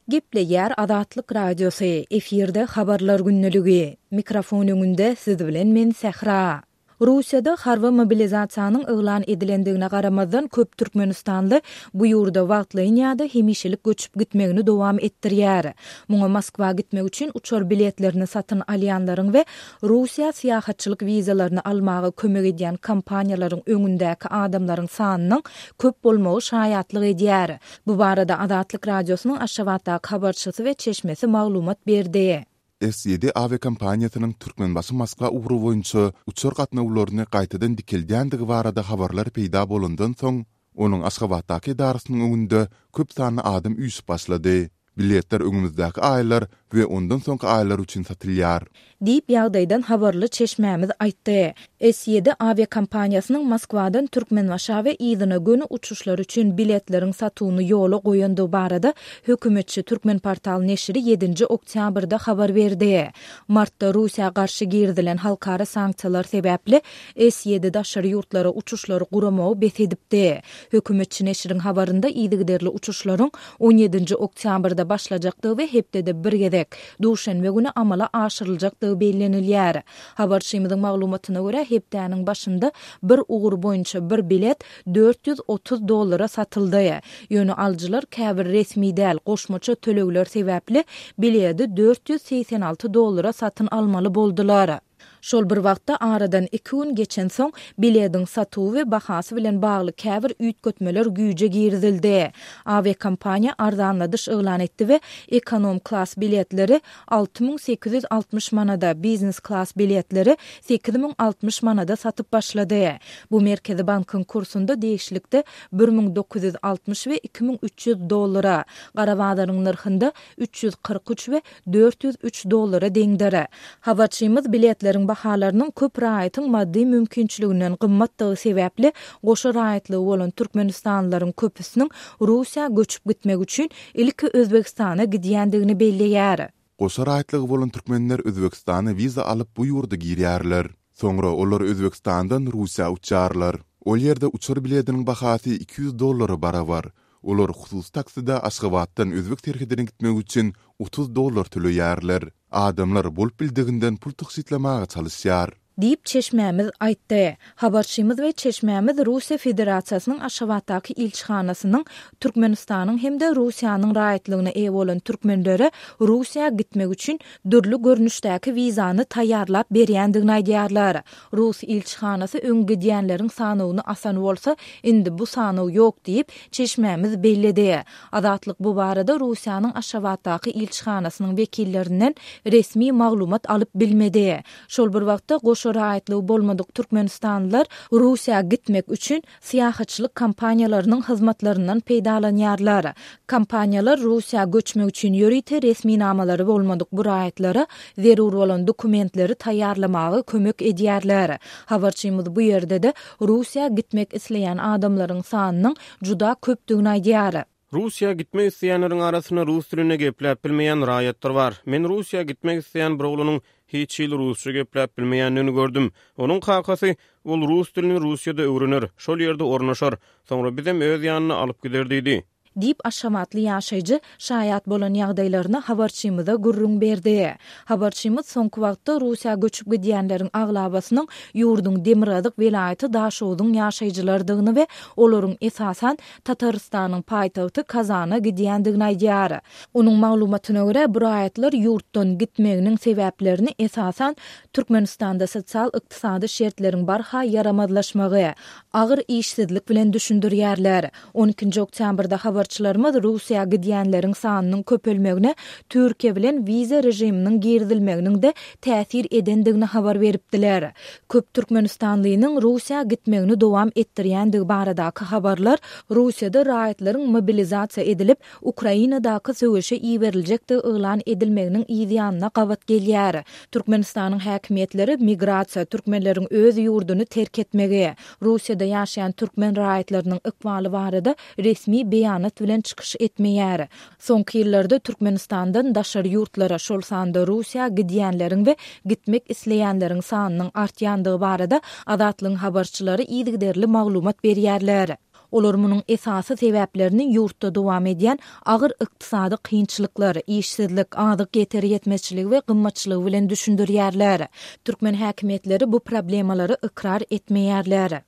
Gepleýär Azatlyk Radiosy, efirde Habarlar gündeligi. Mikrofon öňünde siz bilen men Sähra. Russiýada harby mobilizasiýanyň yglan edilendigine garamazdan köp türkmenistanly bu ýurda wagtlaýyn ýa-da hemişelik göçüp gitmegini dowam etdirýär. Muňa Moskwa gitmek üçin uçar biletlerini satyn alýanlaryň we Russiýa syýahatçylyk wizalaryny almaga kömek edýän kompaniýalaryň öňündäki adamlaryň sanynyň köp bolmagy şaýatlyk edýär. Bu barada Azatlyk Radiosynyň Aşgabatdaky habarçysy we çeşmesi maglumat berdi. S ýedi awiakompaniýasynyň Türkmenbaşy-Moskwa ugry boýunça uçar gatnawlaryny gaýtadan dikeldýändigi barada habarlar peýda bolandan soň, onuň Aşgabatdaky edarasynyň öňünde köp sanly adam üýşüp başlady. Biletler öňümizdäki aýlar we ondan soňky aýlar üçin satylýar. Diýip, ýagdaýdan habarly çeşmämiz aýtdy. S ýedi awiakompaniýasynyň Moskwadan Türkmenbaşa we yzyna göni uçuşlar üçin biletleriň satuwyny ýola goýandygy barada hökümetçi Türkmenportal neşiri ýedinji oktýabrda habar berdi. Martda Russiýa garşy girizilen halkara sanksiýalar sebäpli S ýedi daşary ýurtlara uçuşlary guramagy bes edipdi. Hökümetçi neşiriň habarynda yzygiderli uçuşlaryň on ýedinji oktýabrda başlajakdygy we hepdede bir gezek, duşenbe güni amala aşyryljakdygy bellenilýär. Habarçymyzyň maglumatyna görä, hepdäniň başynda bir ugur boýunça bir bilet 430 dollara satyldy. Ýöne alyjylar käbir resmi däl goşmaça tölegler sebäpli biledi 486 dollara satyn almaly boldular. Şol bir wagtda, aradan iki gün geçensoň, bilediň satuwy we bahasy bilen bagly käbir üýtgetmeler güýje girizildi. Awiakompaniýa arzanladyş yglan etdi we ekonom klas biletleri 6860 manada, biznes klas biletleri 8060 manada satyp başlady. Bu Merkezi bankyň kursunda degişlilikde 1960 we 2300 dollara, gara bazaryň nyrhynda 343 we 403 dollara deňdir. Habarçymyz biletleriň bahalarynyň köp raýatyň maddy mümkinçiliginden gymmatdygy sebäpli, goşa raýatlygy bolan türkmenistanlylaryň köpüsiniň Russiýa göçüp gitmek üçin ilki Özbegistana gidýändigini belleýär. Goşa raýatlygy bolan türkmenler Özbegistana wiza alyp bu ýurda girýärler. Soňra olar Özbegistandan Russiýa uçýarlar. Ol ýerde uçar bilediniň bahasy 200 dollara barabar. Olar hususy takside Aşgabatdan özbek serhedine gitmek üçin 30 dollar töleýärler. Adamlar bolup bildiginden pul tygşytlamaga çalyşýar. Diýip, çeşmämiz aýtdy. Habarçymyz we çeşmämiz Russiýa Federasiýasynyň Aşgabatdaky ilçihanasynyň Türkmenistanyň hem-de Russiýanyň raýatlygyna eýe bolan türkmenlere Russiýa gitmek üçin dürli görnüşdäki wizany taýýarlap berýändigini aýdýarlar. Rus ilçihanasy öň gidýänleriň sanawyny asan bolsa, indi bu sanaw ýok diýip, çeşmämiz belledi. Azatlyk bu barada Russiýanyň Aşgabatdaky ilçihanasynyň wekillerinden resmi maglumat alyp bilmedi. Şol bir wagtda, goşa raýatlygy bolmadyk türkmenistanlylar Russiýa gitmek üçin syýahatçylyk kompaniýalarynyň hyzmatlaryndan peýdalanýarlar. Kompaniýalar Russiýa göçmek üçin ýörite resminamalary bolmadyk bu raýatlara zerur bolan dokumentleri taýýarlamaga kömek edýärler. Habarçymyz bu ýerde-de Russiýa gitmek isleýän adamlaryň sanynyň juda köpdügini aýdýar. Russiýa gitmek isleýänleriň arasynda rus dilinde gepläp bilmeýän raýatlar bar. Men Russiýa gitmek isleýän bir oglanyň hiç hili rusça gepläp bilmeýändigini gördüm. Onuň kakasy, Ol rus dilini Russiýada öwrener, şol ýerde ornaşar, soňra bizem öz ýanyna alyp gider diýdi. Diýip, aşgabatly ýaşaýjy şaýat bolan ýagdaýlaryny habarçymyza gürrüň berdi. Habarçymyz soňky wagtda Russiýa göçüp gidýänleriň aglabasynyň ýurduň demirgazyk welaýaty Daşogzuň ýaşaýjylarydygyny we olaryň esasan Tatarystanyň paýtagty Kazana gidýändigini aýdýar. Onuň maglumatyna görä, bu raýatlar ýurtdan gitmeginiň sebäplerini esasan Türkmenistanda sosial-ykdysady şertleriň barha ýaramazlaşmagy, agyr işsizlik bilen düşündirýärler. On ikinji oktýabrda habarçylarymyz Russiýa gidýänleriň sanynyň köpelmegine Türkiýe bilen wiza režiminiň girizilmeginiň-de täsir edendigini habar beripdiler. Köp türkmenistanlynyň Russiýa gitmegini dowam etdirýändigi baradaky habarlar Russiýada raýatlaryň mobilizasiýa edilip, Ukrainadaky söweşe iberiljekdigi yglan edilmeginiň yz ýanyna gabat gelýär. Türkmenistanyň häkimiýetleri migrasiýa, türkmenleriň öz ýurduny terk etmegi, Russiýada ýaşaýan türkmen raýatlarynyň ykbaly barada resmi beýanat bilen çykyş etmeýär. Soňky ýyllarda Türkmenistandan daşary ýurtlara, şol sanda Russiýa gidýänleriň we gitmek isleýänleriň sanynyň artýandygy barada Azatlygyň habarçylary yzygiderli maglumat berýärler. Olar munuň esasy sebäplerini ýurtda dowam edýän agyr ykdysady kynçylyklar, işsizlik, azyk ýeter-ýetmezçiligi we gymmatçylygy bilen düşündirýärler. Türkmen häkimiýetleri bu problemalary ykrar etmeýärler.